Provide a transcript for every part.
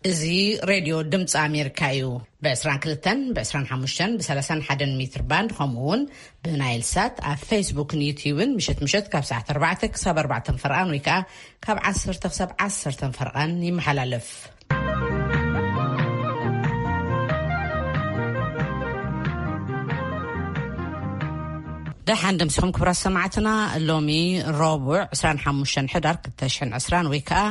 እዚ ሬድዮ ድምፂ ኣሜሪካ እዩ። ብ22፣ ብ25፣ ብ31 ሜትር ባንድ፣ ከምኡ እውን ብናይል ሳት ኣብ ፌስቡክን ዩትዩብን ምሸት ምሸት ካብ ሰዓት ኣርባዕተ ክሳብ ኣርባዕተ ፈርቓን ወይ ከዓ ካብ ዓሰርተ ክሳብ ዓሰርተ ፈርቓን ይመሓላለፍ። ደሓን ደምሲኹም ክቡራት ሰማዕትና። ሎሚ ረቡዕ ዕስራን ሓሙሽተን ሕዳር ክልተ ሽሕን ዕስራን ወይ ከዓ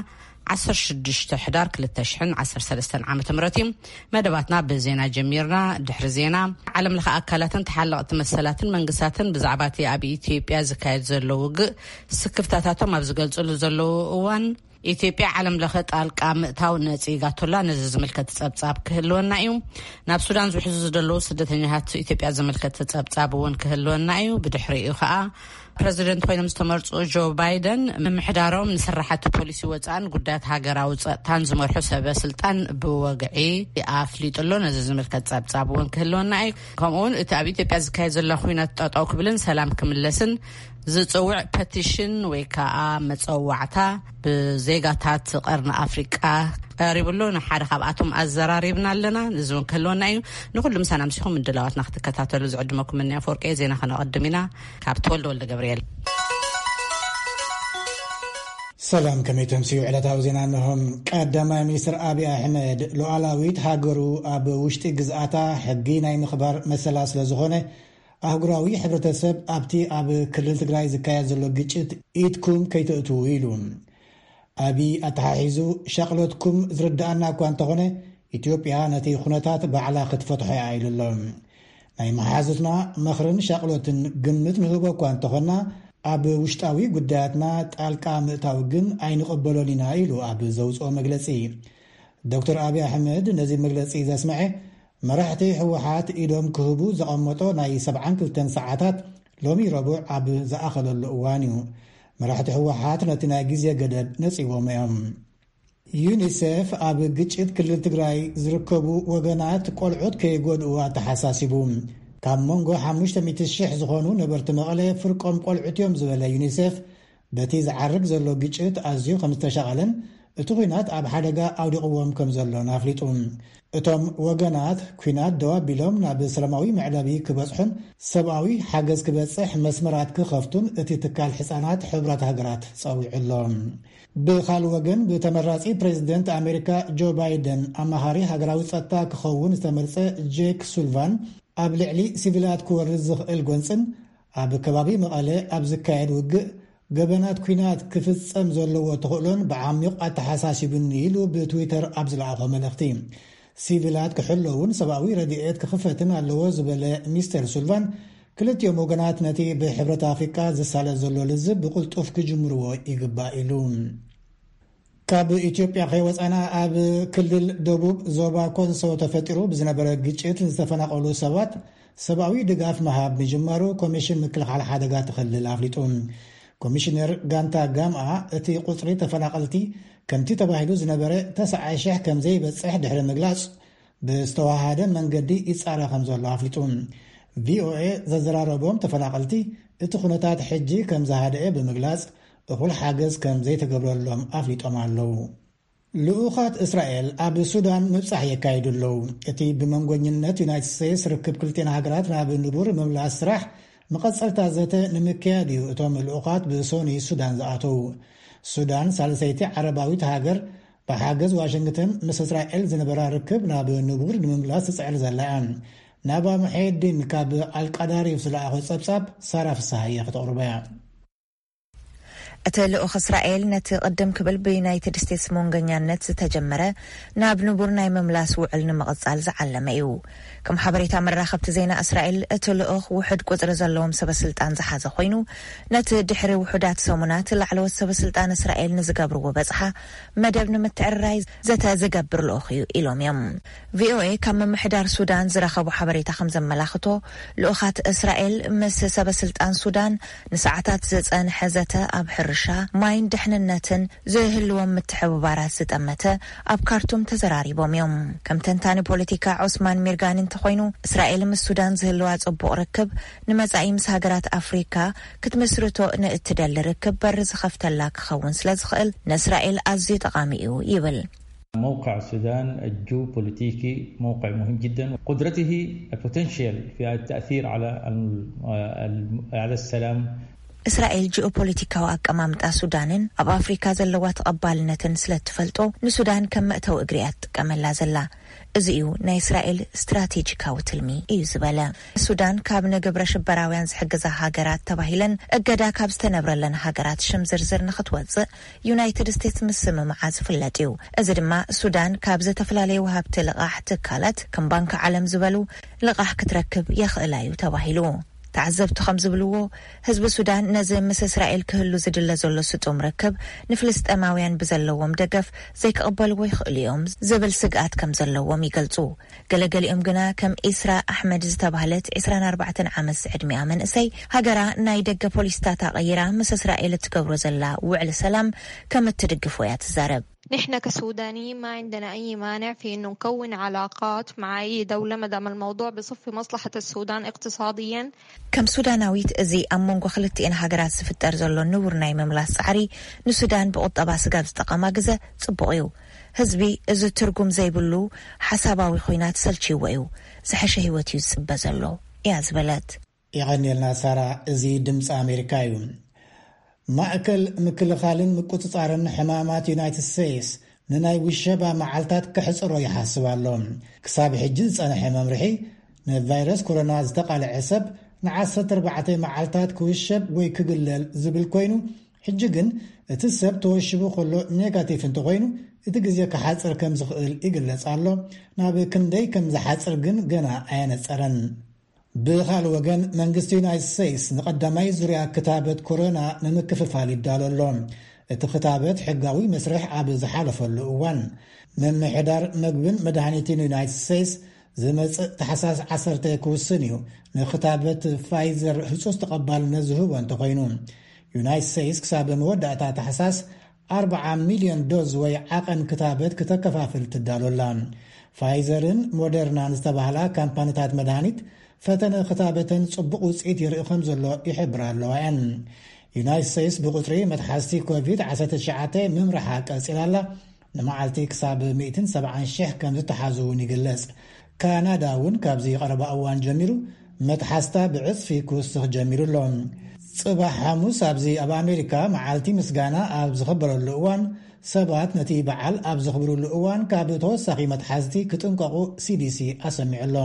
ዓሰርተ ሽዱሽተ ሕዳር ክልተ ሽሕን ዓሰርተ ሰለስተን ዓመተ ምህረት እዩ። መደባትና ብዜና ጀሚርና። ድሕሪ ዜና፣ ዓለም ለኸ ኣካላትን ተሓለቕቲ መሰላትን መንግስታትን ብዛዕባ እቲ ኣብ ኢትዮጵያ ዝካየድ ዘሎ ውግእ ስክፍታታቶም ኣብ ዝገልጽሉ ዘለዉ እዋን፣ ኢትዮጵያ ዓለም ለኸ ጣልቃ ምእታው ነጺጋቶላ። ነዚ ዝምልከት ጸብጻብ ክህልወና እዩ። ናብ ሱዳን ዝውሕዙ ዘለዉ ስደተኛታት ኢትዮጵያ ዝምልከት ጸብጻብ እውን ክህልወና እዩ። ብድሕሪኡ ኸኣ ፕረዚደንት ኮይኖም ዝተመርጹ ጆ ባይደን ምምሕዳሮም ንስራሕቲ ፖሊሲ ወጻእን ጉዳያት ሃገራዊ ጸጥታን ዝመርሑ ሰበ ስልጣን ብወግዒ ኣፍሊጡ ኣሎ። ነዚ ዝምልከት ጸብጻብ እውን ክህልወና እዩ። ከምኡ እውን እቲ ኣብ ኢትዮጵያ ዝካየድ ዘሎ ኲናት ጠጠው ክብልን ሰላም ክምለስን ዝጽውዕ ፐቲሽን ወይ ከዓ መጸዋዕታ ብዜጋታት ቀርኒ ኣፍሪቃ ቀሪቡ ኣሎ። ንሓደ ካብኣቶም ኣዘራሪብና ኣለና። እዚ እውን ክህልወና እዩ። ንኹሉ ምሳና ምሲኹም ምድላዋትና ክትከታተሉ ዝዕድመኩም እኒ ኣፈወርቂ። ዜና ከነቐድም ኢና። ካብ ተወልደ ወልደ ገብርኤል። ሰላም፣ ከመይ ተምስዩ? ዕለታዊ ዜና እንሆ። ቀዳማይ ሚኒስትር ኣብይ ኣሕመድ፣ ሉዓላዊት ሃገሩ ኣብ ውሽጢ ግዝኣታ ሕጊ ናይ ምኽባር መሰላ ስለ ዝኾነ፣ ኣህጉራዊ ሕብረተሰብ ኣብቲ ኣብ ክልል ትግራይ ዝካየድ ዘሎ ግጭት ኢድኩም ከይተእትዉ ኢሉ። ኣብይ ኣተሓሒዙ፣ ሻቕሎትኩም ዝርድኣና እኳ እንተኾነ፣ ኢትዮጵያ ነቲ ኩነታት ባዕላ ክትፈትሖ እያ ኢሉ ኣሎ። ናይ መሓዙትና ምኽርን ሻቕሎትን ግምት ንህቦ እኳ እንተኾና፣ ኣብ ውሽጣዊ ጉዳያትና ጣልቃ ምእታው ግን ኣይንቕበሎን ኢና ኢሉ ኣብ ዘውፅኦ መግለፂ። ዶክተር ኣብይ ኣሕመድ ነዚ መግለፂ ዘስምዐ፣ መራሕቲ ህወሓት ኢዶም ክህቡ ዘቐመጦ ናይ ሰብዓን ክልተን ሰዓታት ሎሚ ረቡዕ ኣብ ዝኣኸለሉ እዋን እዩ። መራሕቲ ህወሓት ነቲ ናይ ግዜ ገደብ ነፂዎም እዮም። ዩኒሴፍ ኣብ ግጭት ክልል ትግራይ ዝርከቡ ወገናት ቆልዑት ከይጎድኡ ኣተሓሳሲቡ። ካብ መንጎ ሓሙሽተ ሚእቲ ሽሕ ዝኾኑ ነበርቲ መቐለ ፍርቆም ቆልዑት እዮም ዝበለ ዩኒሴፍ፣ በቲ ዝዓርግ ዘሎ ግጭት ኣዝዩ ከም ዝተሻቐለን እቲ ኲናት ኣብ ሓደጋ ኣውዲቕዎም ከም ዘሎን ኣፍሊጡ። እቶም ወገናት ኲናት ደው ኣቢሎም ናብ ሰላማዊ መዕለቢ ክበጽሑን ሰብኣዊ ሓገዝ ክበጽሕ መስመራት ክኸፍቱን እቲ ትካል ሕጻናት ሕቡራት ሃገራት ጸዊዑ ኣሎ። ብኻልእ ወገን፣ ብተመራጺ ፕሬዚደንት ኣሜሪካ ጆ ባይደን ኣማኻሪ ሃገራዊ ጸጥታ ክኸውን ዝተመርጸ ጄክ ሱልቫን፣ ኣብ ልዕሊ ሲቪላት ክወርድ ዝኽእል ጎንጽን ኣብ ከባቢ መቐለ ኣብ ዝካየድ ውግእ ገበናት ኲናት ክፍጸም ዘለዎ ተኽእሎን ብዓሚቕ ኣተሓሳሲቡኒ ኢሉ ብትዊተር ኣብ ዝለኣኾ መልእኽቲ። ሲቪላት ክሕለውን ሰብኣዊ ረድኤት ክኽፈትን ኣለዎ ዝበለ ሚስተር ሱልቫን፣ ክልቲኦም ወገናት ነቲ ብሕብረት ኣፍሪቃ ዝሳለጥ ዘሎ ልዝብ ብቕልጡፍ ክጅምርዎ ይግባእ ኢሉ። ካብ ኢትዮጵያ ከይወጻና፣ ኣብ ክልል ደቡብ ዞባ ኮንሶ ተፈጢሩ ብዝነበረ ግጭት ዝተፈናቐሉ ሰባት ሰብኣዊ ድጋፍ ምሃብ ምጅማሩ ኮሚሽን ምክልኻል ሓደጋ እቲ ክልል ኣፍሊጡ። ኮሚሽነር ጋንታ ጋምኣ፣ እቲ ቁጽሪ ተፈናቐልቲ ከምቲ ተባሂሉ ዝነበረ ተስዓ ሽሕ ከም ዘይበጽሕ ድሕሪ ምግላጽ፣ ብዝተዋሃደ መንገዲ ይጻረ ከም ዘሎ ኣፍሊጡ። ቪኦኤ ዘዘራረቦም ተፈናቐልቲ፣ እቲ ኩነታት ሕጂ ከም ዝሃደአ ብምግላጽ፣ እኹል ሓገዝ ከም ዘይተገብረሎም ኣፍሊጦም ኣለዉ። ልኡኻት እስራኤል ኣብ ሱዳን ምብጻሕ የካይዱ ኣለዉ። እቲ ብመንጎኝነት ዩናይትድ ስቴትስ ርክብ ክልቲኤን ሃገራት ናብ ንቡር ምምላስ ስራሕ መቐጸልታ ዘተ ንምክያድ እዩ እቶም ልኡኻት ብሶኒ ሱዳን ዝኣተዉ። ሱዳን፣ ሳልሰይቲ ዓረባዊት ሃገር፣ ብሓገዝ ዋሽንግተን ምስ እስራኤል ዝነበራ ርክብ ናብ ንቡር ንምምላስ ትጽዕር ዘላ እያ። ናባ ሙሐየዲን ካብ ኣልቃዳሪፍ ዝለኣኾ ጸብጻብ ሳራ ፍስሃየ ክተቕርቦ እያ። እቲ ልኡኽ እስራኤል ነቲ ቅድም ክብል ብዩናይትድ ስቴትስ መንጎኛነት ዝተጀመረ ናብ ንቡር ናይ ምምላስ ውዕል ንምቕጻል ዝዓለመ እዩ። ከም ሓበሬታ መራኸብቲ ዜና እስራኤል፣ እቲ ልኡኽ ውሑድ ቁጽሪ ዘለዎም ሰበ ስልጣን ዝሓዘ ኮይኑ፣ ነቲ ድሕሪ ውሑዳት ሰሙናት ላዕለዎት ሰበ ስልጣን እስራኤል ንዝገብርዎ በጽሓ መደብ ንምትዕርራይ ዘተ ዝገብር ልኡኽ እዩ ኢሎም እዮም። ቪኦኤ ካብ ምምሕዳር ሱዳን ዝረኸቦ ሓበሬታ ከም ዘመላኽቶ፣ ልኡኻት እስራኤል ምስ ሰበ ስልጣን ሱዳን ንሰዓታት ዝጸንሐ ዘተ ኣብ ሕርሻ፣ ማይን ድሕንነትን ዝህልዎም ምትሕብባራት ዝጠመተ ኣብ ካርቱም ተዘራሪቦም እዮም። ከም ተንታኒ ፖለቲካ ዑስማን ሚርጋኒ እንተኾይኑ፣ እስራኤል ምስ ሱዳን ዝህልዋ ጽቡቕ ርክብ ንመጻኢ ምስ ሃገራት ኣፍሪካ ክትምስርቶ ንእትደሊ ርክብ በር ዝኸፍተላ ክኸውን ስለ ዝኽእል፣ ንእስራኤል ኣዝዩ ጠቓሚ እዩ ይብል። موقع السودان الجيوبوليتيكي موقع مهم جدا، قدرته البوتنشال في التأثير على ال- ال- على السلام. እስራኤል ጂኦፖለቲካዊ ኣቀማምጣ ሱዳንን ኣብ ኣፍሪካ ዘለዋ ተቐባልነትን ስለ እትፈልጦ፣ ንሱዳን ከም መእተዊ እግሪ እያ ትጥቀመላ ዘላ። እዚ እዩ ናይ እስራኤል ስትራቴጂካዊ ትልሚ እዩ ዝበለ። ሱዳን ካብ ንግብረ ሽበራውያን ዝሕግዛ ሃገራት ተባሂለን እገዳ ካብ ዝተነብረለን ሃገራት ሽም ዝርዝር ንክትወፅእ ዩናይትድ ስቴትስ ምስምምዓ ዝፍለጥ እዩ። እዚ ድማ ሱዳን ካብ ዝተፈላለዩ ወሃብቲ ልቓሕ ትካላት ከም ባንኪ ዓለም ዝበሉ ልቓሕ ክትረክብ የኽእላ እዩ ተባሂሉ። ተዓዘብቲ ከም ዝብልዎ፣ ህዝቢ ሱዳን ነዚ ምስ እስራኤል ክህሉ ዝድለ ዘሎ ስጡም ርክብ ንፍልስጤማውያን ብዘለዎም ደገፍ ዘይክቕበልዎ ይኽእሉ እዮም ዝብል ስግኣት ከም ዘለዎም ይገልጹ። ገለገሊኦም ግና ከም ኢስራ ኣሕመድ ዝተባህለት ዕስራን ኣርባዕተን ዓመት ዝዕድሚኣ መንእሰይ፣ ሃገራ ናይ ደገ ፖሊሲታታ ቀይራ ምስ እስራኤል እትገብሮ ዘላ ውዕሊ ሰላም ከም እትድግፎ እያ ትዛረብ። نحن كسودانيين ما عندنا أي مانع في إنه نكون علاقات مع أي دولة ما دام الموضوع بصفي مصلحة السودان اقتصاديا. ከም ሱዳናዊት፣ እዚ ኣብ መንጎ ክልቲኤን ሃገራት ዝፍጠር ዘሎ ንቡር ናይ ምምላስ ጻዕሪ ንሱዳን ብቁጠባ ስጋብ ዝጠቐማ ግዘ ጽቡቕ እዩ። ህዝቢ እዚ ትርጉም ዘይብሉ ሓሳባዊ ኹናት ሰልችይዎ እዩ። ዝሐሸ ህይወት እዩ ዝጽበ ዘሎ እያ ዝበለት። የቐንየልና ሳራ። እዚ ድምፂ ኣሜሪካ እዩ። ማእከል ምክልኻልን ምቁፅፃርን ሕማማት ዩናይትድ ስቴትስ ንናይ ውሸባ መዓልታት ክሕፅሮ ይሓስብ ኣሎ። ክሳብ ሕጂ ዝፀንሐ መምርሒ፣ ንቫይረስ ኮሮና ዝተቓልዐ ሰብ ንዓሰርተ ኣርባዕተ መዓልታት ክውሸብ ወይ ክግለል ዝብል ኮይኑ፣ ሕጂ ግን እቲ ሰብ ተወሽቡ ከሎ ኔጋቲቭ እንተኾይኑ፣ እቲ ግዜ ክሓፅር ከም ዝኽእል ይግለጽ ኣሎ። ናብ ክንደይ ከም ዝሓፅር ግን ገና ኣየነጸረን። ብኻልእ ወገን፣ መንግስቲ ዩናይትድ ስቴትስ ንቐዳማይ ዙርያ ክታበት ኮሮና ንምክፍፋል ይዳሎ ኣሎ። እቲ ክታበት ሕጋዊ መስርሕ ኣብ ዝሓለፈሉ እዋን፣ ምምሕዳር መግብን መድሃኒትን ዩናይትድ ስቴትስ ዝመጽእ ታሕሳስ ዓሰርተ ክውስን እዩ፣ ንክታበት ፋይዘር ህጹጽ ተቐባልነት ዝህቦ እንተኾይኑ። ዩናይትድ ስቴትስ ክሳብ መወዳእታ ታሕሳስ ኣርብዓ ሚልዮን ዶዝ ወይ ዓቐን ክታበት ክተከፋፍል ትዳሎ ኣላ። ፋይዘርን ሞደርናን ዝተባህላ ካምፓኒታት መድሃኒት፣ ፈተነ ክታበተን ጽቡቕ ውጽኢት ይርኢ ከም ዘሎ ይሕብራ ኣለዋ እየን። ዩናይትድ ስቴትስ ብቁጽሪ መትሓዝቲ ኮቪድ ዓሰርተ ትሽዓተ ምምርሓ ቀጺላ ኣላ። ንመዓልቲ ክሳብ ሚእትን ሰብዓን ሽሕ ከም ዝተሓዙ እውን ይግለጽ። ካናዳ እውን ካብዚ ቀረባ እዋን ጀሚሩ መትሓዝታ ብዕጽፊ ክውስኽ ጀሚሩ ኣሎ። ጽባሕ ሓሙስ ኣብዚ ኣብ ኣሜሪካ መዓልቲ ምስጋና ኣብ ዝኽበረሉ እዋን፣ ሰባት ነቲ በዓል ኣብ ዘኽብሩሉ እዋን ካብ ተወሳኺ መትሓዝቲ ክጥንቀቑ ሲዲሲ ኣሰሚዑ ኣሎ።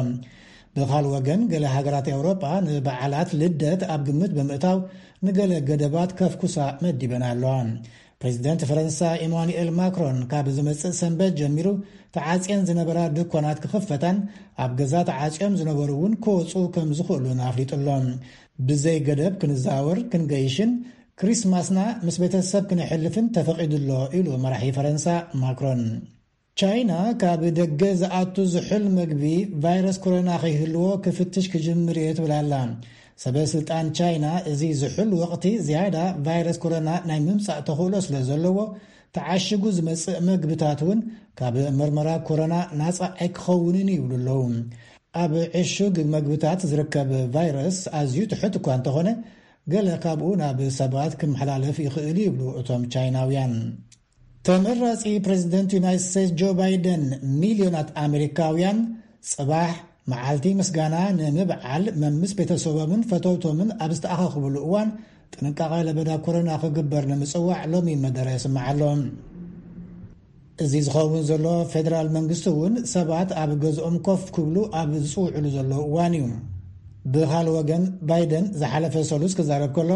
ብኻልእ ወገን፣ ገለ ሃገራት ኤውሮጳ ንበዓላት ልደት ኣብ ግምት ብምእታው ንገለ ገደባት ከፍኩሳ መዲበን ኣለዋ። ፕሬዚደንት ፈረንሳ ኢማኑኤል ማክሮን ካብ ዝመጽእ ሰንበት ጀሚሩ ተዓጽየን ዝነበራ ድኳናት ክኽፈታን ኣብ ገዛ ተዓጽዮም ዝነበሩ እውን ክወጹ ከም ዝኽእሉን ኣፍሊጡ ኣሎ። ብዘይ ገደብ ክንዛወር፣ ክንገይሽን ክሪስማስና ምስ ቤተሰብ ክነሕልፍን ተፈቒዱ ኣሎ ኢሉ መራሒ ፈረንሳ ማክሮን። ቻይና ካብ ደገ ዝኣቱ ዝሑል መግቢ ቫይረስ ኮሮና ከይህልዎ ክፍትሽ ክጅምር እየ ትብል ኣላ። ሰበ ስልጣን ቻይና፣ እዚ ዝሑል ወቕቲ ዝያዳ ቫይረስ ኮሮና ናይ ምምጻእ ተኽእሎ ስለ ዘለዎ፣ ተዓሽጉ ዝመጽእ መግብታት እውን ካብ መርመራ ኮሮና ናጻ ኣይክኸውንን ይብሉ ኣለዉ። ኣብ ዕሹግ መግብታት ዝርከብ ቫይረስ ኣዝዩ ትሑት እኳ እንተኾነ፣ ገለ ካብኡ ናብ ሰባት ክመሓላለፍ ይኽእል ይብሉ እቶም ቻይናውያን። ተመራጺ ፕሬዚደንት ዩናይትድ ስቴትስ ጆ ባይደን፣ ሚልዮናት ኣሜሪካውያን ጽባሕ መዓልቲ ምስጋና ንምብዓል መምስ ቤተሰቦምን ፈተውቶምን ኣብ ዝተኣኻኽብሉ እዋን ጥንቃቐ ለበዳ ኮሮና ክግበር ንምጽዋዕ ሎሚ መደረ ይስማዕ ኣሎ። እዚ ዝኸውን ዘሎ፣ ፌደራል መንግስቲ እውን ሰባት ኣብ ገዝኦም ኮፍ ክብሉ ኣብ ዝጽውዕሉ ዘለዉ እዋን እዩ። ብኻልእ ወገን፣ ባይደን ዝሓለፈ ሰሉስ ክዛረብ ከሎ፣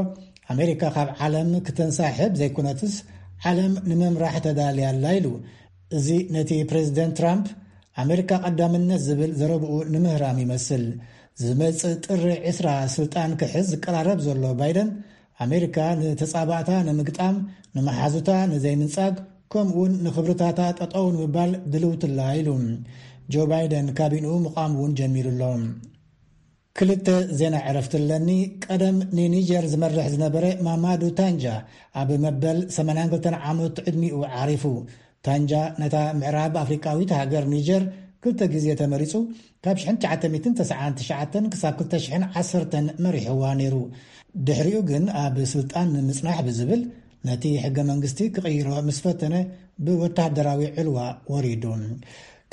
ኣሜሪካ ካብ ዓለም ክተንሳሕብ ዘይኮነትስ፣ ዓለም ንምምራሕ ተዳልያ ኣላ ኢሉ። እዚ ነቲ ፕሬዚደንት ትራምፕ ኣሜሪካ ቀዳምነት ዝብል ዘረብኡ ንምህራም ይመስል። ዝመጽእ ጥሪ ዕስራ ስልጣን ክሕዝ ዝቀራረብ ዘሎ ባይደን፣ ኣሜሪካ ንተጻባእታ ንምግጣም፣ ንመሓዙታ ንዘይምንጻግ፣ ከምኡውን ንኽብርታታ ጠጠው ንምባል ድልውትላ ኢሉ። ጆ ባይደን ካቢንኡ ምቋም እውን ጀሚሩ ኣሎ። ክልተ ዜና ዕረፍቲ ኣለኒ። ቀደም ንኒጀር ዝመርሕ ዝነበረ ማማዱ ታንጃ ኣብ መበል ሰማንያን ክልተን ዓመት ዕድሚኡ ዓሪፉ። ታንጃ ነታ ምዕራብ ኣፍሪቃዊት ሃገር ኒጀር ክልተ ግዜ ተመሪጹ፣ ካብ ሽሕን ትሽዓተ ሚእትን ተስዓን ትሽዓተን ክሳብ ክልተ ሽሕን ዓሰርተን መሪሕዋ ነይሩ። ድሕሪኡ ግን ኣብ ስልጣን ንምጽናሕ ብዝብል ነቲ ሕገ መንግስቲ ክቕይሮ ምስ ፈተነ ብወታደራዊ ዕልዋ ወሪዱ።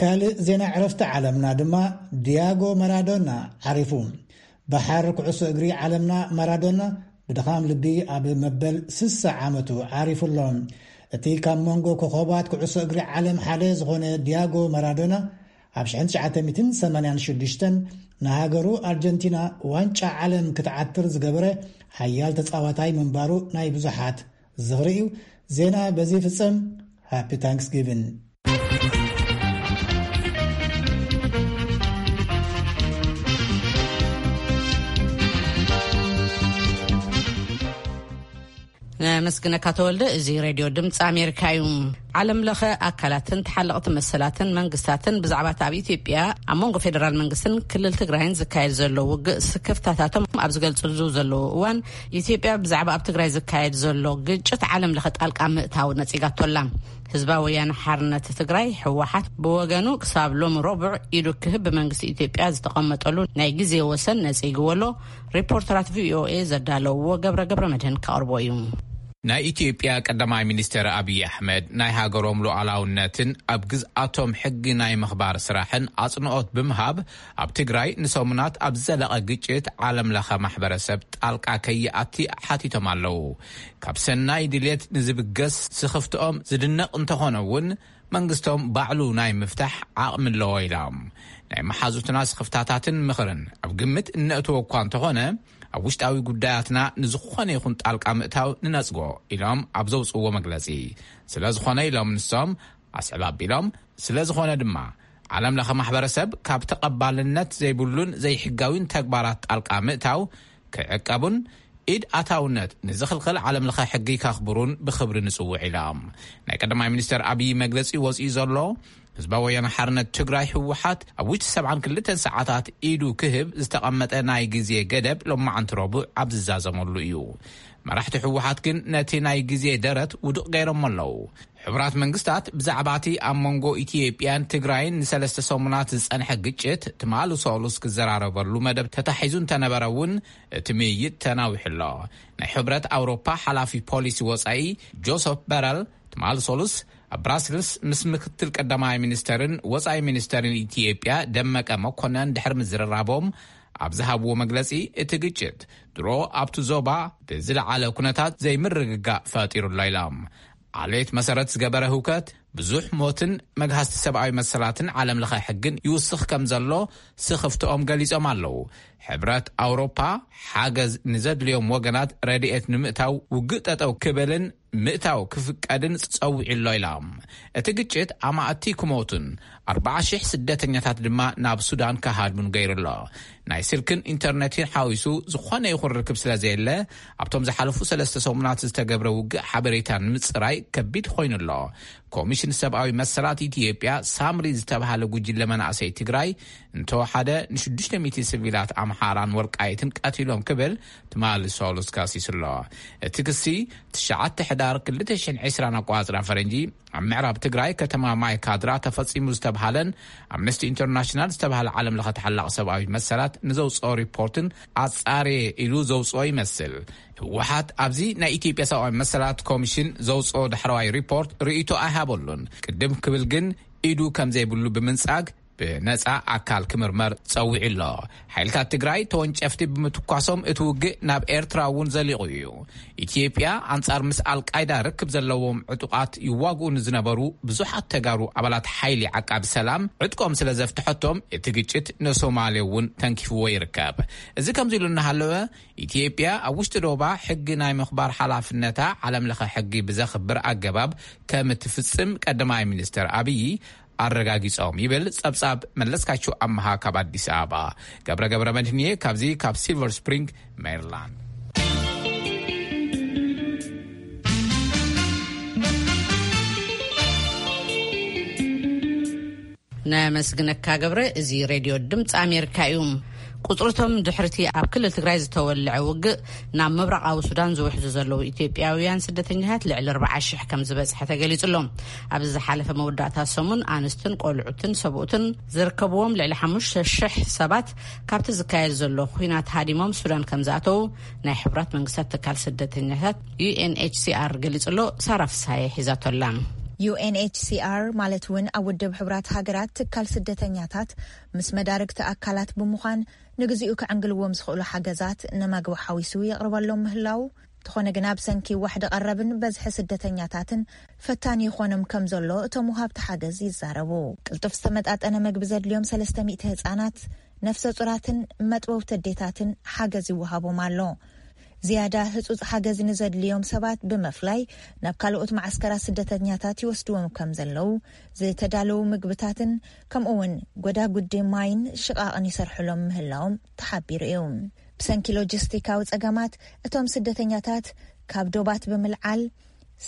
ካልእ ዜና ዕረፍቲ ዓለምና ድማ ዲያጎ ማራዶና ዓሪፉ። ባሕር ኩዕሶ እግሪ ዓለምና ማራዶና ብድኻም ልቢ ኣብ መበል ስሳ ዓመቱ ዓሪፉ ኣሎ። እቲ ካብ መንጎ ኮኸባት ኩዕሶ እግሪ ዓለም ሓደ ዝኾነ ዲያጎ ማራዶና ኣብ ሽሕን ትሽዓተ ሚእትን ሰማንያን ሽዱሽተን ንሃገሩ ኣርጀንቲና ዋንጫ ዓለም ክትዓትር ዝገበረ ሓያል ተጻዋታይ ምንባሩ ናይ ብዙሓት ዝኽሪ እዩ። ዜና በዚ ይፍጸም። ሃፒ ታንክስጊቪን። ነመስግነካ ተወልደ። እዚ ሬድዮ ድምፂ ኣሜሪካ እዩ። ዓለም ለኸ ኣካላትን ተሓለቕቲ መሰላትን መንግስታትን ብዛዕባ እቲ ኣብ ኢትዮጵያ ኣብ መንጎ ፌደራል መንግስትን ክልል ትግራይን ዝካየድ ዘሎ ውግእ ስክፍታታቶም ኣብ ዝገልፅሉ ዘለዉ እዋን፣ ኢትዮጵያ ብዛዕባ ኣብ ትግራይ ዝካየድ ዘሎ ግጭት ዓለም ለኸ ጣልቃ ምእታው ነፂጋቶላ። ህዝባዊ ወያነ ሓርነት ትግራይ ህወሓት ብወገኑ ክሳብ ሎሚ ረቡዕ ኢዱ ክህብ ብመንግስቲ ኢትዮጵያ ዝተቐመጠሉ ናይ ግዜ ወሰን ነፂግዎ ኣሎ። ሪፖርተራት ቪኦኤ ዘዳለውዎ ገብረ ገብረ መድህን ከቕርቦ እዩ። ናይ ኢትዮጵያ ቀዳማይ ሚኒስትር ኣብይ ኣሕመድ ናይ ሃገሮም ሉዓላውነትን ኣብ ግዝኣቶም ሕጊ ናይ ምኽባር ስራሕን ኣጽንኦት ብምሃብ ኣብ ትግራይ ንሰሙናት ኣብ ዝዘለቐ ግጭት ዓለም ለኸ ማሕበረሰብ ጣልቃ ከይኣቲ ሓቲቶም ኣለዉ። ካብ ሰናይ ድልየት ንዝብገስ ስኽፍትኦም ዝድነቕ እንተኾነ እውን መንግስቶም ባዕሉ ናይ ምፍታሕ ዓቕሚ ኣለዎ ኢሎም። ናይ መሓዙትና ስኽፍታታትን ምኽርን ኣብ ግምት እነእትዎ እኳ እንተኾነ ኣብ ውሽጣዊ ጉዳያትና ንዝኾነ ይኹን ጣልቃ ምእታው ንነጽጎ ኢሎም ኣብ ዘውፅዎ መግለፂ። ስለ ዝኾነ ኢሎም ንሶም ኣስዕብ ኣቢሎም፣ ስለ ዝኾነ ድማ ዓለም ለኸ ማሕበረሰብ ካብ ተቐባልነት ዘይብሉን ዘይሕጋዊን ተግባራት ጣልቃ ምእታው ክዕቀቡን ኢድ ኣታውነት ንዝኽልኽል ዓለም ለኸ ሕጊ ከኽብሩን ብኽብሪ ንጽውዕ ኢሎም። ናይ ቀዳማይ ሚኒስትር ኣብይ መግለጺ ወጺኡ ዘሎ ህዝባዊ ወያነ ሓርነት ትግራይ ህወሓት ኣብ ውሽጢ ሰብዓን ክልተን ሰዓታት ኢዱ ክህብ ዝተቐመጠ ናይ ግዜ ገደብ ሎማዓንቲ ረቡዕ ኣብ ዝዛዘመሉ እዩ። መራሕቲ ህወሓት ግን ነቲ ናይ ግዜ ደረት ውዱቕ ገይሮሞ ኣለዉ። ሕቡራት መንግስታት ብዛዕባ እቲ ኣብ መንጎ ኢትዮጵያን ትግራይን ንሰለስተ ሰሙናት ዝጸንሐ ግጭት ትማሊ ሰሉስ ክዘራረበሉ መደብ ተታሒዙ እንተነበረ እውን እቲ ምይይጥ ተናዊሑ ኣሎ። ናይ ሕብረት ኣውሮፓ ሓላፊ ፖሊሲ ወጻኢ ጆሰፍ በረል ትማሊ ሰሉስ ኣብ ብራስልስ ምስ ምክትል ቀዳማይ ሚኒስተርን ወጻኢ ሚኒስተርን ኢትዮጵያ ደመቀ መኮነን ድሕሪ ምዝርራቦም ኣብ ዝሃብዎ መግለጺ፣ እቲ ግጭት ድሮ ኣብቲ ዞባ ብዝለዓለ ኩነታት ዘይምርግጋእ ፈጢሩ ኣሎ ኢሎም። ዓሌት መሰረት ዝገበረ ህውከት፣ ብዙሕ ሞትን መግሃስቲ ሰብኣዊ መሰላትን ዓለም ለኸ ሕግን ይውስኽ ከም ዘሎ ስኽፍትኦም ገሊጾም ኣለዉ። ሕብረት ኣውሮፓ ሓገዝ ንዘድልዮም ወገናት ረድኤት ንምእታው ውግእ ጠጠው ክብልን ምእታው ክፍቀድን ጸዊዑ ኣሎ ኢሎም። እቲ ግጭት ኣማእቲ ክሞቱን ኣርባዓ ሽሕ ስደተኛታት ድማ ናብ ሱዳን ክሃድሙን ገይሩ ኣሎ። ናይ ስልክን ኢንተርኔትን ሓዊሱ ዝኾነ ይኹን ርክብ ስለ ዘየለ፣ ኣብቶም ዝሓለፉ ሰለስተ ሰሙናት ዝተገብረ ውግእ ሓበሬታ ንምጽራይ ከቢድ ኮይኑ ኣሎ። ኮሚሽን ሰብኣዊ መሰላት ኢትዮጵያ ሳምሪ ዝተባሃለ ጉጅለ መናእሰይ ትግራይ እንተወሓደ ንሽዱሽተ ሚእቲ ሲቪላት ኣምሓራን ወልቃይትን ቀቲሎም ክብል ትማሊ ሰሉስ ከሲሱ ኣሎ። እቲ ክሲ ትሽዓተ ሕዳር ክልተ ሽሕን ዕስራን ኣቋጽራ ፈረንጂ ኣብ ምዕራብ ትግራይ ከተማ ማይ ካድራ ተፈጺሙ ዝተብሃለን ኣምነስቲ ኢንተርናሽናል ዝተብሃለ ዓለም ለኸ ተሓላቒ ሰብኣዊ መሰላት ንዘውፅኦ ሪፖርትን ኣጻርየ ኢሉ ዘውፅኦ ይመስል። ህወሓት ኣብዚ ናይ ኢትዮጵያ ሰብኣዊ መሰላት ኮሚሽን ዘውፅኦ ዳሕረዋይ ሪፖርት ርእይቶ ኣይሃበሉን። ቅድም ክብል ግን ኢዱ ከም ዘይብሉ ብምንጻግ ብነጻ ኣካል ክምርመር ጸዊዑ ኣሎ። ሓይልታት ትግራይ ተወንጨፍቲ ብምትኳሶም እቲ ውግእ ናብ ኤርትራ እውን ዘሊቑ እዩ። ኢትዮጵያ ኣንጻር ምስ ኣልቃይዳ ርክብ ዘለዎም ዕጡቓት ይዋግኡ ንዝነበሩ ብዙሓት ተጋሩ ኣባላት ሓይሊ ዓቃቢ ሰላም ዕጥቆም ስለ ዘፍትሐቶም እቲ ግጭት ንሶማሌ እውን ተንኪፍዎ ይርከብ። እዚ ከምዚ ኢሉ እናሃለወ ኢትዮጵያ ኣብ ውሽጢ ዶባ ሕጊ ናይ ምኽባር ሓላፍነታ ዓለም ለኸ ሕጊ ብዘኽብር ኣገባብ ከም እትፍጽም ቀዳማይ ሚኒስትር ኣብዪ ኣረጋጊጾም ይብል ጸብጻብ መለስካቸው ኣመሃ ካብ ኣዲስ ኣበባ። ገብረ ገብረ መድህንየ ካብዚ ካብ ሲልቨር ስፕሪንግ ሜሪላንድ። ነመስግነካ ገብረ። እዚ ሬድዮ ድምፂ ኣሜሪካ እዩ። ቁጽርቶም ድሕርቲ ኣብ ክልል ትግራይ ዝተወልዐ ውግእ ናብ ምብራቓዊ ሱዳን ዝውሕዙ ዘለዉ ኢትዮጵያውያን ስደተኛታት ልዕሊ ኣርባዓ ሽሕ ከም ዝበጽሐ ተገሊጹ ኣሎ። ኣብዚ ዝሓለፈ መወዳእታ ሰሙን ኣንስትን ቆልዑትን ሰብኡትን ዝርከብዎም ልዕሊ ሓሙሽተ ሽሕ ሰባት ካብቲ ዝካየድ ዘሎ ኲናት ሃዲሞም ሱዳን ከም ዝኣተዉ ናይ ሕቡራት መንግስታት ትካል ስደተኛታት ዩ ኤን ኤች ሲ ኣር ገሊጹ ኣሎ። ሳራ ፍሳየ ሒዛቶ ኣላ። ዩ ኤን ኤች ሲ ኣር ማለት እውን ኣብ ውድብ ሕቡራት ሃገራት ትካል ስደተኛታት ምስ መዳርግቲ ኣካላት ብምዃን ንግዚኡ ክዕንግልዎም ዝኽእሉ ሓገዛት ንመግቢ ሓዊሱ የቕርበሎም ምህላው፣ እንተኾነ ግና ብሰንኪ ዋሕዲ ቀረብን በዝሒ ስደተኛታትን ፈታኒ ይኾኖም ከም ዘሎ እቶም ወሃብቲ ሓገዝ ይዛረቡ። ቅልጡፍ ዝተመጣጠነ መግቢ ዘድልዮም ሰለስተ ሚእቲ ህጻናት፣ ነፍሰ ጹራትን መጥበውቲ ኣዴታትን ሓገዝ ይወሃቦም ኣሎ። ዝያዳ ህጹጽ ሓገዝ ንዘድልዮም ሰባት ብምፍላይ ናብ ካልኦት መዓስከራት ስደተኛታት ይወስድዎም ከም ዘለዉ፣ ዝተዳለዉ ምግብታትን ከምኡ እውን ጎዳጉዲ ማይን ሽቓቕን ይሰርሕሎም ምህላዎም ተሓቢሩ እዩ። ብሰንኪ ሎጂስቲካዊ ጸገማት እቶም ስደተኛታት ካብ ዶባት ብምልዓል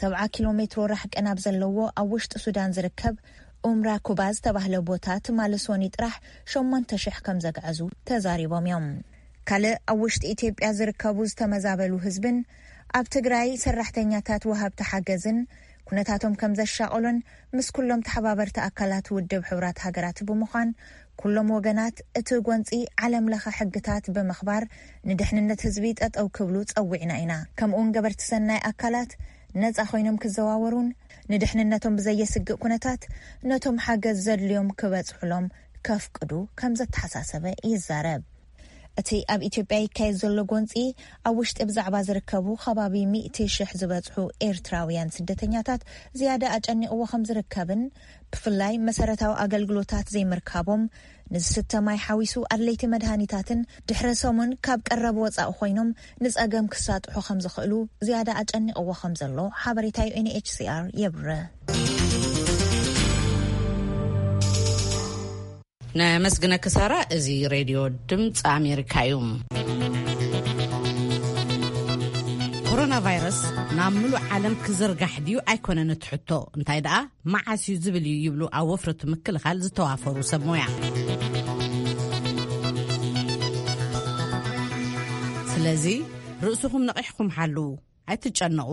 ሰብዓ ኪሎ ሜትሮ ራሕቂ ናብ ዘለዎ ኣብ ውሽጢ ሱዳን ዝርከብ ኡምራ ኩባ ዝተባህለ ቦታ ትማሊ ሶኒ ጥራሕ ሸሞንተ ሽሕ ከም ዘግዐዙ ተዛሪቦም እዮም። ካልእ ኣብ ውሽጢ ኢትዮጵያ ዝርከቡ ዝተመዛበሉ ህዝብን ኣብ ትግራይ ሰራሕተኛታት ወሃብቲ ሓገዝን ኩነታቶም ከም ዘሻቐሉን ምስ ኩሎም ተሓባበርቲ ኣካላት ውድብ ሕቡራት ሃገራት ብምዃን ኩሎም ወገናት እቲ ጎንፂ ዓለም ለኸ ሕግታት ብምኽባር ንድሕንነት ህዝቢ ጠጠው ክብሉ ጸዊዕና ኢና። ከምኡውን ገበርቲ ሰናይ ኣካላት ነጻ ኮይኖም ክዘዋወሩን ንድሕንነቶም ብዘየስግእ ኩነታት ነቶም ሓገዝ ዘድልዮም ክበጽሑሎም ከፍቅዱ ከም ዘተሓሳሰበ ይዛረብ። እቲ ኣብ ኢትዮጵያ ይካየድ ዘሎ ጎንፂ ኣብ ውሽጢ ብዛዕባ ዝርከቡ ከባቢ ሚእቲ ሽሕ ዝበጽሑ ኤርትራውያን ስደተኛታት ዝያዳ ኣጨኒቕዎ ከም ዝርከብን ብፍላይ መሰረታዊ ኣገልግሎታት ዘይምርካቦም ንዝስተ ማይ ሓዊሱ ኣድለይቲ መድሃኒታትን ድሕረ ሰሙን ካብ ቀረብ ወፃኢ ኮይኖም ንፀገም ክሳጥሑ ከም ዝኽእሉ ዝያዳ ኣጨኒቕዎ ከም ዘሎ ሓበሬታ ዩ ኤን ኤች ሲ ኣር የብርህ። ነመስግነኪ ሳራ። እዚ ሬድዮ ድምፂ ኣሜሪካ እዩ። ኮሮና ቫይረስ ናብ ምሉእ ዓለም ክዝርጋሕ ድዩ ኣይኮነን እቲ ሕቶ፣ እንታይ ደኣ መዓስ እዩ ዝብል እዩ ይብሉ ኣብ ወፍሪ ምክልኻል ዝተዋፈሩ ሰብ ሞያ። ስለዚ ርእስኹም ነቒሕኩም ሓልዉ። ኣይትጨነቑ፣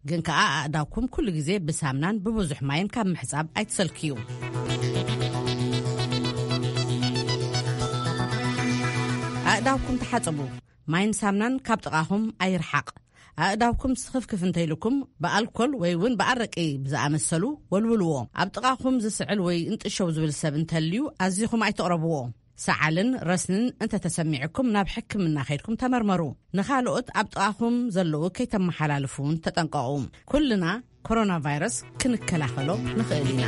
ግን ከኣ ኣእዳውኩም ኩሉ ግዜ ብሳምናን ብብዙሕ ማይን ካብ ምሕጻብ ኣይትሰልክዩ። ኣእዳውኩም ተሓጽቡ። ማይን ሳምናን ካብ ጥቓኹም ኣይርሓቕ። ኣእዳውኩም ስኽፍክፍ እንተይልኩም ብኣልኮል ወይ እውን ብኣረቂ ብዝኣመሰሉ ወልውልዎ። ኣብ ጥቓኹም ዝስዕል ወይ እንጥሸው ዝብል ሰብ እንተልዩ ኣዚኹም ኣይትቕረብዎ። ሰዓልን ረስንን እንተተሰሚዕኩም ናብ ሕክምና ከይድኩም ተመርመሩ። ንኻልኦት ኣብ ጥቓኹም ዘለዉ ከይተመሓላልፉ እውን ተጠንቀቑ። ኩልና ኮሮና ቫይረስ ክንከላኸሎ ንኽእል ኢና።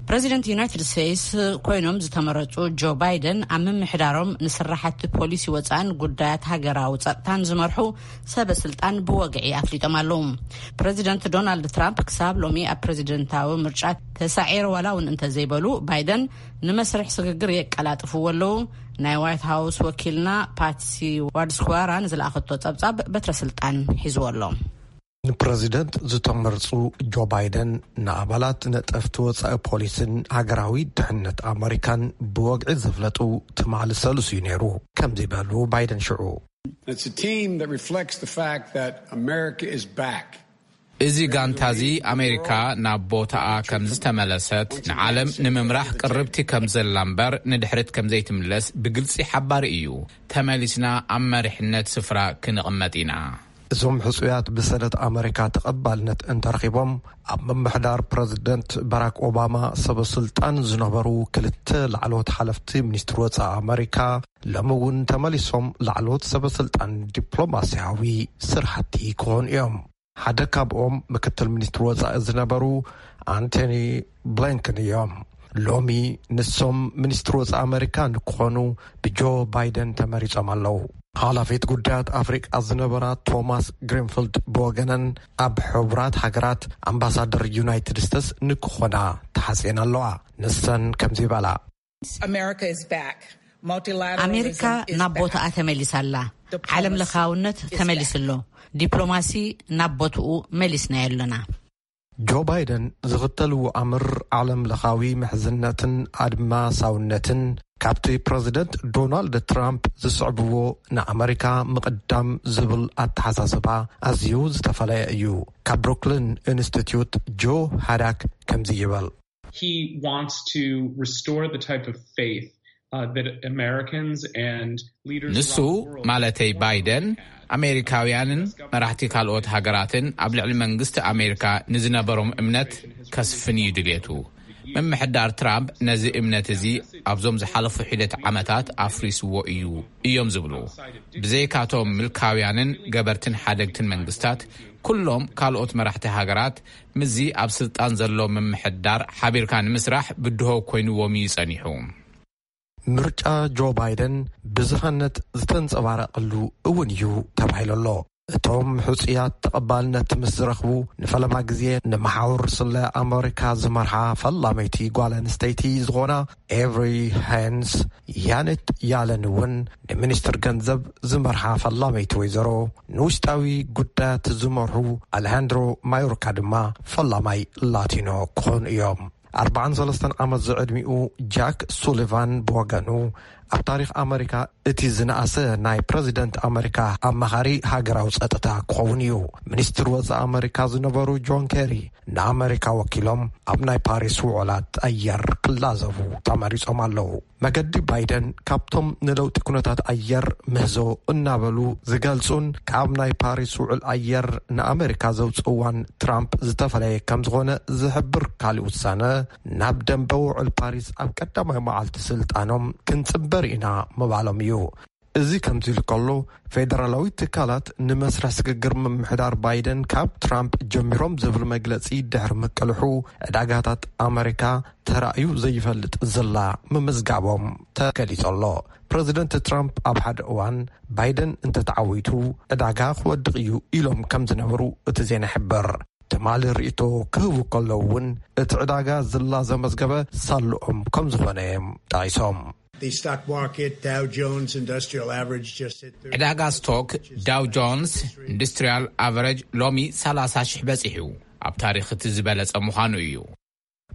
ፕረዚደንት ዩናይትድ ስቴትስ ኮይኖም ዝተመረጹ ጆ ባይደን ኣብ ምምሕዳሮም ንስራሕቲ ፖሊሲ ወጻእን ጉዳያት ሃገራዊ ጸጥታን ዝመርሑ ሰበ ስልጣን ብወግዒ ኣፍሊጦም ኣለዉ። ፕረዚደንት ዶናልድ ትራምፕ ክሳብ ሎሚ ኣብ ፕረዚደንታዊ ምርጫ ተሳዒረ ዋላ እውን እንተዘይበሉ፣ ባይደን ንመስርሕ ስግግር የቀላጥፍዎ ኣለዉ። ናይ ዋይት ሃውስ ወኪልና ፓትሲ ዋድስኳራ ንዝለኣኸቶ ጸብጻብ በትረ ስልጣን ሒዝዎ ኣሎ። ንፕረዚደንት ዝተመርጹ ጆ ባይደን ንኣባላት ነጠፍቲ ወጻኢ ፖሊስን ሃገራዊ ድሕነት ኣመሪካን ብወግዒ ዘፍለጡ ትማሊ ሰሉስ እዩ ነይሩ። ከምዚ በሉ ባይደን ሽዑ። It's a team that reflects the fact that America is back. እዚ ጋንታ እዚ ኣሜሪካ ናብ ቦታኣ ከም ዝተመለሰት፣ ንዓለም ንምምራሕ ቅርብቲ ከም ዘላ እምበር ንድሕሪት ከም ዘይትምለስ ብግልጺ ሓባሪ እዩ። ተመሊስና ኣብ መሪሕነት ስፍራ ክንቕመጥ ኢና። እዞም ሕጹያት ብሰነት ኣመሪካ ተቐባልነት እንተረኺቦም፣ ኣብ ምምሕዳር ፕረዚደንት ባራክ ኦባማ ሰበ ስልጣን ዝነበሩ ክልተ ላዕለዎት ሓለፍቲ ሚኒስትሪ ወጻኢ ኣመሪካ ሎሚ እውን ተመሊሶም ላዕለዎት ሰበ ስልጣን ዲፕሎማስያዊ ስራሕቲ ክኾኑ እዮም። ሓደ ካብኦም ምክትል ሚኒስትሪ ወጻኢ ዝነበሩ ኣንቶኒ ብሊንከን እዮም። ሎሚ ንሶም ሚኒስትሪ ወጻኢ ኣመሪካ ንክኾኑ ብጆ ባይደን ተመሪጾም ኣለዉ። ሓላፊት ጉዳያት ኣፍሪቃ ዝነበራ ቶማስ ግሪንፊልድ ብወገነን ኣብ ሕቡራት ሃገራት ኣምባሳደር ዩናይትድ ስቴትስ ንክኾና ተሓጽየን ኣለዋ። ንሰን ከምዚ ይበላ። America is back. Multilateralism ኣሜሪካ is ናብ back. ቦታኣ ተመሊሳ ኣላ። Diplomacy ዓለም ለኻውነት is ተመሊሱ back. ኣሎ። ዲፕሎማሲ ናብ ቦትኡ መሊስናዮ ኣለና። ጆ ባይደን ዝኽተልዎ ኣምር ዓለም ለኻዊ ምሕዝነትን ኣድማሳውነትን ካብቲ ፕረዚደንት ዶናልድ ትራምፕ ዝስዕብዎ ንኣመሪካ ምቕዳም ዝብል ኣተሓሳስባ ኣዝዩ ዝተፈለየ እዩ። ካብ ብሩክሊን ኢንስቲትዩት ጆ ሃዳክ ከምዚ ይብል። He wants to restore the type of faith uh, that Americans and leaders ንሱ around the world ማለተይ formerly ባይደን had. ኣሜሪካውያንን መራሕቲ ካልኦት ሃገራትን ኣብ ልዕሊ መንግስቲ ኣሜሪካ ንዝነበሮም እምነት ከስፍን እዩ ድልየቱ። ምምሕዳር ትራምፕ ነዚ እምነት እዚ ኣብዞም ዝሓለፉ ሒደት ዓመታት ኣፍሪስዎ እዩ እዮም ዝብሉ። ብዘይካቶም ምልካውያንን ገበርትን ሓደግትን መንግስታት፣ ኩሎም ካልኦት መራሕቲ ሃገራት ምስዚ ኣብ ስልጣን ዘሎ ምምሕዳር ሓቢርካ ንምስራሕ ብድሆ ኮይንዎም እዩ ጸኒሑ። ምርጫ ጆ ባይደን ብዝሃነት ዝተንጸባረቐሉ እውን እዩ ተባሂሉ ኣሎ። እቶም ሕጹያት ተቐባልነት ምስ ዝረኽቡ ንፈለማ ግዜ ንመሓውር ስለ ኣመሪካ ዝመርሓ ፈላመይቲ ጓል ኣንስተይቲ ዝኾና ኤቭሪ ሃንስ ያኔት ያለን እውን ንሚኒስትር ገንዘብ ዝመርሓ ፈላመይቲ ወይዘሮ ንውሽጣዊ ጉዳያት ዝመርሑ ኣሌሃንድሮ ማዮርካ ድማ ፈላማይ ላቲኖ ክኾኑ እዮም። ኣርባዓን ሰለስተን ዓመት ዝዕድሚኡ ጃክ ሱሊቫን ብወገኑ ኣብ ታሪኽ ኣመሪካ እቲ ዝነኣሰ ናይ ፕረዚደንት ኣመሪካ ኣማኻሪ ሃገራዊ ጸጥታ ክኸውን እዩ። ሚኒስትር ወጻኢ ኣመሪካ ዝነበሩ ጆን ኬሪ ንኣመሪካ ወኪሎም ኣብ ናይ ፓሪስ ውዕላት ኣየር ክላዘቡ ተመሪጾም ኣለዉ። መገዲ ባይደን ካብቶም ንለውጢ ኩነታት ኣየር ምህዞ እናበሉ ዝገልጹን ካብ ናይ ፓሪስ ውዕል ኣየር ንኣመሪካ ዘውጽእዋን ትራምፕ ዝተፈለየ ከም ዝኾነ ዝሕብር ካልእ ውሳነ ናብ ደንበ ውዕል ፓሪስ ኣብ ቀዳማይ መዓልቲ ስልጣኖም ክንጽንበር ኢና ምባሎም እዩ። እዚ ከምዚ ኢሉ ከሎ ፌደራላዊ ትካላት ንመስርሕ ስግግር ምምሕዳር ባይደን ካብ ትራምፕ ጀሚሮም ዝብል መግለጺ ድሕሪ ምቅልሑ ዕዳጋታት ኣመሪካ ተራእዩ ዘይፈልጥ ዝላ ምምዝጋቦም ተገሊጹ ኣሎ። ፕረዚደንት ትራምፕ ኣብ ሓደ እዋን ባይደን እንተተዓዊቱ ዕዳጋ ክወድቕ እዩ ኢሎም ከም ዝነበሩ እቲ ዜና ይሕብር። ትማሊ ርእይቶ ክህቡ ከለዉ እውን እቲ ዕዳጋ ዝላ ዘመዝገበ ሳልኦም ከም ዝኾነ እዮም ጠቒሶም። The stock market, Dow Jones Industrial Average just hit thirty. ዕዳጋ ስቶክ ዳው ጆንስ ኢንዱስትሪያል ኣቨረጅ ሎሚ ሰላሳ ሺሕ በጺሑ፣ ኣብ ታሪኽ እቲ ዝበለጸ ምዃኑ እዩ።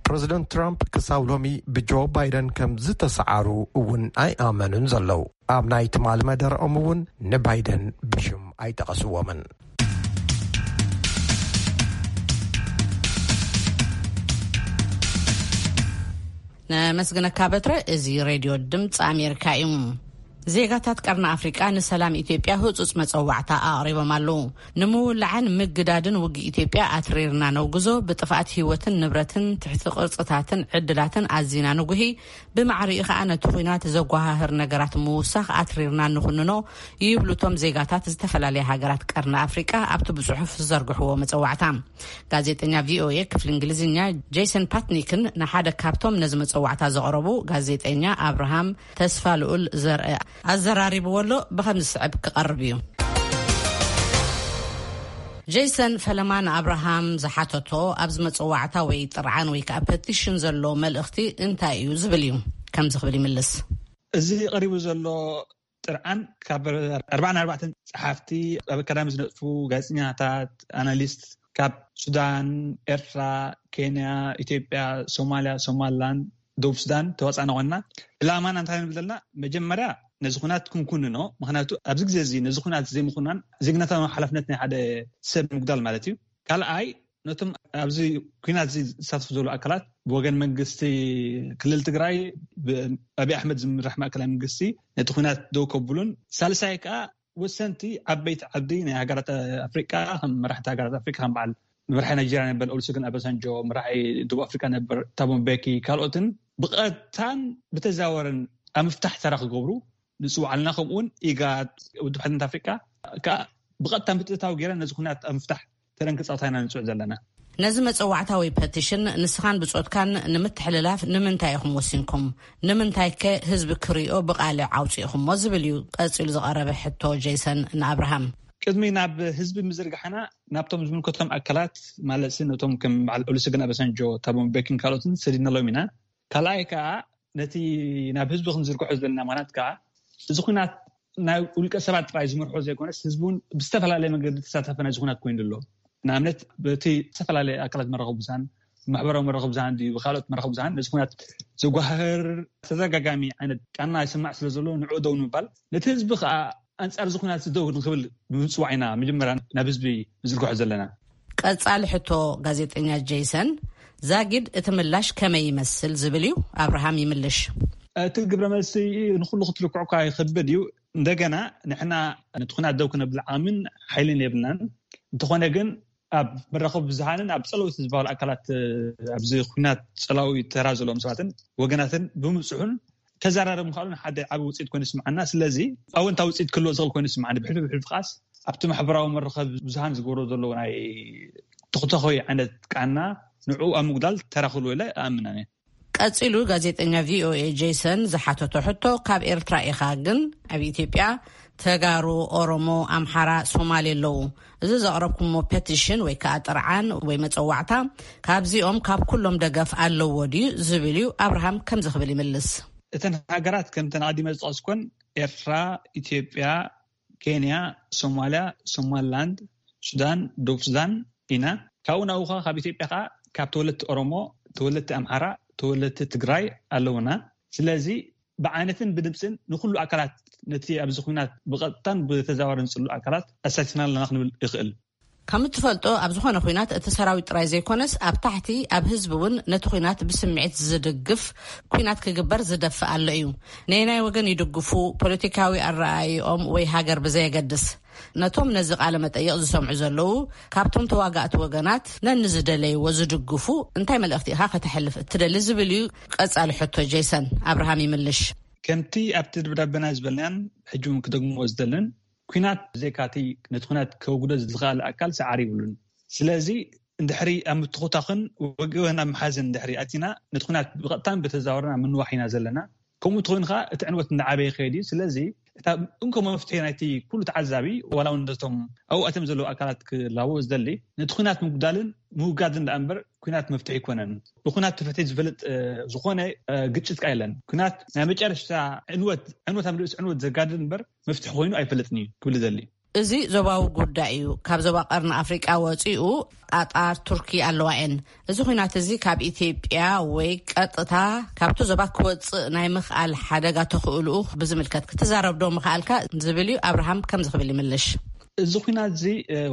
ፕረዚደንት ትራምፕ ክሳብ ሎሚ ብጆ ባይደን ከም ዝተሰዓሩ እውን ኣይኣመኑን ዘለዉ። ኣብ ናይ ትማሊ መደረኦም እውን ንባይደን ብሽም ኣይጠቐስዎምን። ነመስግነካ በትረ። እዚ ሬድዮ ድምፂ ኣሜሪካ እዩ። ዜጋታት ቀርኒ ኣፍሪቃ ንሰላም ኢትዮጵያ ህጹጽ መጸዋዕታ ኣቕሪቦም ኣለዉ። ንምውላዕን ምግዳድን ውግእ ኢትዮጵያ ኣትሪርና ነውግዞ፣ ብጥፍኣት ህይወትን ንብረትን ትሕቲ ቅርጽታትን ዕድላትን ኣዚና ንጉሂ፣ ብማዕሪኡ ከኣ ነቲ ኹናት ዘጓሃህር ነገራት ምውሳኽ ኣትሪርና ንኹንኖ ይብሉ እቶም ዜጋታት ዝተፈላለያ ሃገራት ቀርኒ ኣፍሪቃ ኣብቲ ብጽሑፍ ዝዘርግሕዎ መጸዋዕታ። ጋዜጠኛ ቪኦኤ ክፍሊ እንግሊዝኛ ጄሰን ፓትኒክን ንሓደ ካብቶም ነዚ መጸዋዕታ ዘቕረቡ ጋዜጠኛ ኣብርሃም ተስፋ ልኡል ዘርአ ኣዘራሪብዎ ኣሎ። ብኸም ዝስዕብ ክቐርብ እዩ። ጄሰን ፈለማ ንኣብርሃም ዝሓተቶ ኣብዚ መጸዋዕታ ወይ ጥርዓን ወይ ከዓ ፐቲሽን ዘሎ መልእኽቲ እንታይ እዩ ዝብል እዩ። ከምዚ ክብል ይምልስ። እዚ ቀሪቡ ዘሎ ጥርዓን ካብ ኣርባዓን ኣርባዕተን ጸሓፍቲ፣ ኣብ ኣካዳሚ ዝነጥፉ ጋዜጠኛታት፣ ኣናሊስት ካብ ሱዳን፣ ኤርትራ፣ ኬንያ፣ ኢትዮጵያ፣ ሶማልያ፣ ሶማልላንድ፣ ደቡብ ሱዳን ተዋጻእና ኮይንና። ዕላማና እንታይ ንብል ዘለና? መጀመርያ ነዚ ኩናት ክንኩንኖ። ምኽንያቱ ኣብዚ ግዜ እዚ ነዚ ኩናት ዘይምኹናን ዜግነታዊ ሓላፍነት ናይ ሓደ ሰብ ምጉዳል ማለት እዩ። ካልኣይ ነቶም ኣብዚ ኩናት እዚ ዝሳተፉ ዘለዉ ኣካላት ብወገን መንግስቲ ክልል ትግራይ ብኣብይ ኣሕመድ ዝምራሕ ማእከላይ መንግስቲ ነቲ ኩናት ደው ከብሉን፣ ሳልሳይ ከዓ ወሰንቲ ዓበይቲ ዓዲ ናይ ሃገራት ኣፍሪቃ፣ ከም መራሕቲ ሃገራት ኣፍሪቃ ከም በዓል መራሒ ናይጀርያ ነበር ኦሉሰጉን ኣባሳንጆ፣ መራሒ ደቡብ ኣፍሪቃ ነበር ታቦ ምቤኪ፣ ካልኦትን ብቐጥታን ብተዛወረን ኣብ ምፍታሕ ተራ ክገብሩ ንፅውዕ ኣለና። ከምኡውን ኢጋድ፣ ውድብ ሓድነት ኣፍሪቃ ከዓ ብቐጥታ ምትእታው ገይረን ነዚ ኩናት ኣብ ምፍታሕ ተረን ክፃወታ ኢና ንፅውዕ ዘለና። ነዚ መጸዋዕታ ወይ ፐቲሽን ንስኻን ብጾትካን ንምትሕልላፍ ንምንታይ ኢኹም ወሲንኩም? ንምንታይከ ህዝቢ ክሪኦ ብቓልዕ ኣውጺእኹሞ? ዝብል እዩ ቀጺሉ ዝቐረበ ሕቶ ጄሰን ንኣብርሃም። ቅድሚ ናብ ህዝቢ ምዝርጋሕና ናብቶም ዝምልከቶም ኣካላት ማለት ነቶም ከም በዓል ኦሉሰጉን ኣባሳንጆ፣ ታቦ ምቤኪን ካልኦትን ሰዲድናሎም ኢና። ካልኣይ ከዓ ነቲ ናብ ህዝቢ ክንዝርግሖ ዘለና ምኽንያት ከዓ እዚ ኩናት ናይ ውልቀ ሰባት ጥራይ ዝመርሖ ዘይኮነስ ህዝቢ እውን ብዝተፈላለየ መንገዲ ተሳታፊ ናይዚ ኩናት ኮይኑ ኣሎ። ንኣብነት በቲ ዝተፈላለዩ ኣካላት መራኸቢ ብዙሃን፣ ማሕበራዊ መራኸቢ ብዙሃን ድዩ ብካልኦት መራኸቢ ብዙሃን ነዚ ኩናት ዘጓህር ተደጋጋሚ ዓይነት ቃና ይስማዕ ስለ ዘሎ ንዕኡ ደው ንምባል ነቲ ህዝቢ ከዓ ኣንጻር እዚ ኩናት ደው ንክብል ብምፅዋዕ ኢና መጀመርያ ናብ ህዝቢ ንዝርግሖ ዘለና። ቀጻሊ ሕቶ ጋዜጠኛ ጄይሰን ዛጊድ እቲ ምላሽ ከመይ ይመስል ዝብል እዩ። ኣብርሃም ይምልሽ። እቲ ግብረ መልሲ ንኩሉ ክትልክዑ እኳ ይኸብድ እዩ። እንደገና ንሕና ነቲ ኩናት ደው ክነብል ዓቕምን ሓይልን የብልናን። እንተኾነ ግን ኣብ መራኸቢ ብዙሃንን ኣብ ጸለውቲ ዝበሃሉ ኣካላት ኣብዚ ኩናት ጸላዊ ተራ ዘለዎም ሰባትን ወገናትን ብምብፅሑን ተዘራረብ ምዃኑን ሓደ ዓቢ ውፅኢት ኮይኑ ይስምዓና። ስለዚ ኣወንታዊ ውፅኢት ክህልዎ ዝኽእል ኮይኑ ይስምዓኒ። ብሕልፊ ብሕልፊ ከዓስ ኣብቲ ማሕበራዊ መራኸቢ ብዙሃን ዝገብሮ ዘለዎ ናይ ተኽተኾይ ዓይነት ቃና ንዕኡ ኣብ ምጉዳል ተራ ክህልዎ ኢለ እኣምን ኣነ። ቀጺሉ ጋዜጠኛ ቪኦኤ ጄይሰን ዝሓተቶ ሕቶ፣ ካብ ኤርትራ ኢኻ ግን ኣብ ኢትዮጵያ ተጋሩ፣ ኦሮሞ፣ ኣምሓራ፣ ሶማሌ ኣለዉ። እዚ ዘቕረብኩሞ ፐቲሽን ወይ ከኣ ጥርዓን ወይ መጸዋዕታ ካብዚኦም ካብ ኩሎም ደገፍ ኣለዎ ድዩ ዝብል እዩ። ኣብርሃም ከምዚ ክብል ይምልስ። እተን ሃገራት ከምተን ኣቐዲመ ዝጠቐስኮን ኤርትራ፣ ኢትዮጵያ፣ ኬንያ፣ ሶማልያ፣ ሶማልላንድ፣ ሱዳን፣ ደቡብ ሱዳን ኢና። ካብኡ ናብኡ ኸዓ ካብ ኢትዮጵያ ኸዓ ካብ ተወለድቲ ኦሮሞ፣ ተወለድቲ ኣምሓራ፣ ተወለድቲ ትግራይ ኣለውና። ስለዚ ብዓይነትን ብድምፅን ንኩሉ ኣካላት ነቲ ኣብዚ ኩናት ብቐጥታን ብተዘዋዋርን ዝፅሉ ኣካላት ኣሳቲፍና ኣለና ክንብል ይኽእል። ከም እትፈልጦ ኣብ ዝኾነ ኩናት እቲ ሰራዊት ጥራይ ዘይኮነስ ኣብ ታሕቲ ኣብ ህዝቢ እውን ነቲ ኩናት ብስምዒት ዝድግፍ ኩናት ክግበር ዝደፍእ ኣሎ እዩ። ነየናይ ወገን ይድግፉ፣ ፖለቲካዊ ኣረኣእይኦም ወይ ሃገር ብዘየገድስ። ነቶም ነዚ ቃለ መጠይቕ ዝሰምዑ ዘለዉ ካብቶም ተዋጋእቲ ወገናት ነንዝደለይዎ ዝድግፉ እንታይ መልእኽቲ ኢኻ ከተሕልፍ እትደሊ ዝብል እዩ ቀጻሊ ሕቶ ጄይሰን ኣብርሃም ይምልሽ። ከምቲ ኣብቲ ደብዳቤና ዝበልናን ሕጂ እውን ክደግምዎ ዝደልን ኩናት ብዘይካቲ ነቲ ኩናት ከውግዶ ዝኽእል ኣካል ሰዓሪ ይብሉን። ስለዚ እንድሕሪ ኣብ ምትኹታኽን ወገን ኣብ ምሓዝን እንድሕሪ ኣቲና ነቲ ኩናት ብቐጥታን ብተዛወረን ኣብ ምንዋሕ ኢና ዘለና። ከምኡ እንተኾይኑ ከዓ እቲ ዕንወት እንዳዓበየ ይኸይድ እዩ። ስለዚ እታ እንኮ መፍትሒ ናይቲ ኩሉ ተዓዛቢ ዋላ እውን ነቶም ኣብኡ ኣትዮም ዘለዉ ኣካላት ክላቦ ዝደሊ ነቲ ኩናት ምጉዳልን ምውጋድን ደኣ እምበር ኩናት መፍትሒ ኣይኮነን። ብኩናት ተፈትሒ ዝፈልጥ ዝኾነ ግጭት ከ የለን። ኩናት ናይ መጨረሽታ ዕንወት ዕንወት ኣብ ርእሲ ዕንወት ዘጋድድ እምበር መፍትሒ ኮይኑ ኣይፈልጥን እዩ ክብል ዘሊ። እዚ ዞባዊ ጉዳይ እዩ። ካብ ዞባ ቀርኒ ኣፍሪቃ ወፂኡ ቃጣር፣ ቱርኪ ኣለዋ እየን። እዚ ኩናት እዚ ካብ ኢትዮጵያ ወይ ቀጥታ ካብቲ ዞባ ክወፅእ ናይ ምኽኣል ሓደጋ ተኽእልኡ ብዝምልከት ክትዛረብ ዶ ምኽኣልካ ዝብል እዩ። ኣብርሃም ከምዚ ክብል ይምልሽ። እዚ ኩናት እዚ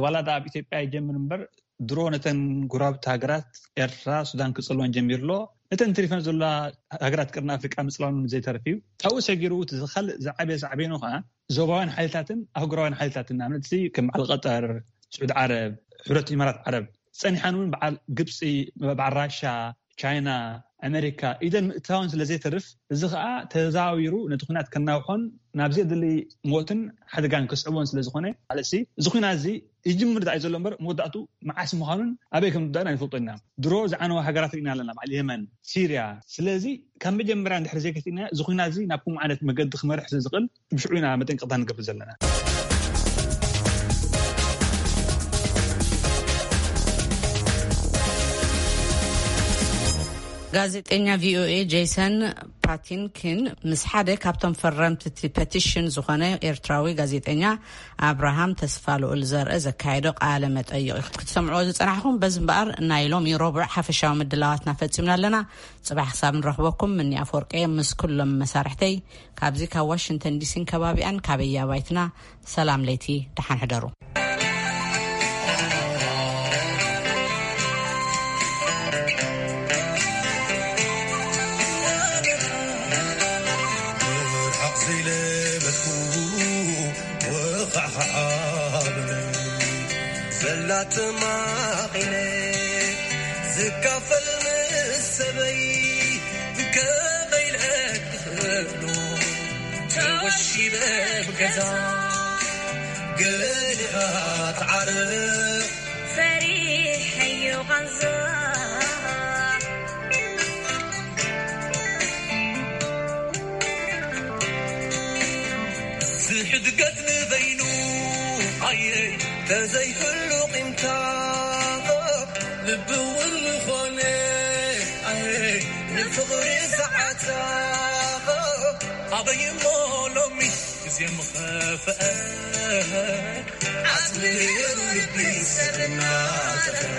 ዋላ ዳ ኣብ ኢትዮጵያ ይጀምር እምበር ድሮ ነተን ጎረባብቲ ሃገራት ኤርትራ፣ ሱዳን ክጸልወን ጀሚሩ ኣሎ። ነተን ተሪፈን ዘለዋ ሃገራት ቀርኒ ኣፍሪቃ ምጽላውን ዘይተርፍ እዩ። ካብኡ ሰጊሩ እቲ ካልእ ዝዓበየ ሳዕቤኑ ከኣ ዞባውያን ሓይልታትን ኣህጉራውያን ሓይልታትን ንኣብነት ከም በዓል ቀጠር፣ ስዑድ ዓረብ፣ ሕብረት ኢማራት ዓረብ ጸኒሓን እውን በዓል ግብጺ፣ በዓል ራሻ፣ ቻይና፣ ኣሜሪካ ኢደን ምእታውን ስለ ዘይተርፍ እዚ ከኣ ተዛዊሩ ነቲ ኩናት ከናውሖን ናብ ዘየድሊ ሞትን ሓደጋን ከስዕቦን ስለ ዝኾነ ማለት እዚ ኩናት እዚ ይጅምር ዳኣ እዩ ዘሎ እምበር መወዳእቱ መዓስ ምዃኑን ኣበይ ከም ዝዳን ኣይንፈልጦ ኢና። ድሮ ዝዓነዋ ሃገራት ርኢና ኣለና፣ በዓል የመን፣ ሲርያ። ስለዚ ካብ መጀመርያ እንድሕር ዘይገቲእና እዚ ኩናት እዚ ናብ ከምኡ ዓይነት መገዲ ክመርሕ ስለ ዝኽእል ብሽዑ ኢና መጠንቀቕታ ንገብር ዘለና። ጋዜጠኛ ቪኦኤ ጄሰን ፓቲንኪን ምስ ሓደ ካብቶም ፈረምቲ እቲ ፐቲሽን ዝኾነ ኤርትራዊ ጋዜጠኛ ኣብርሃም ተስፋ ልኡል ዘርእ ዘካየዶ ቃለ መጠይቕ ክትሰምዕዎ ዝጸናሕኹም። በዚ እምበኣር ናይ ሎሚ ረቡዕ ሓፈሻዊ ምድላዋትና ፈጺምና ኣለና። ጽባሕ ክሳብ ንረኽበኩም ምኒ ኣፈወርቀ ምስ ኩሎም መሳርሕተይ ካብዚ ካብ ዋሽንግተን ዲሲን ከባቢኣን ካበይ ኣባይትና ሰላም ለይቲ ደሓን ሕደሩ። ዘላ ተማቒለ ዝካፈል ምስ ሰበይ ከመይ ኢለ ክኽእሎ ተወሺበ ብገዛ ገሊኻ ትዓርፍ ፈሪሐዮ ቃንዛ ዝሕድገት ንበይኑ ኣየ ተዘይህሉ ቂምታ ልቢ እውን ዝኾነ ኣየ ንፍቕሪ ሰዓታ ኣበይ እሞ ሎሚ ግዜ ምኸፍአ ዓጽሚ ነይሩ ልቢ ሰብ እናጠፈረ።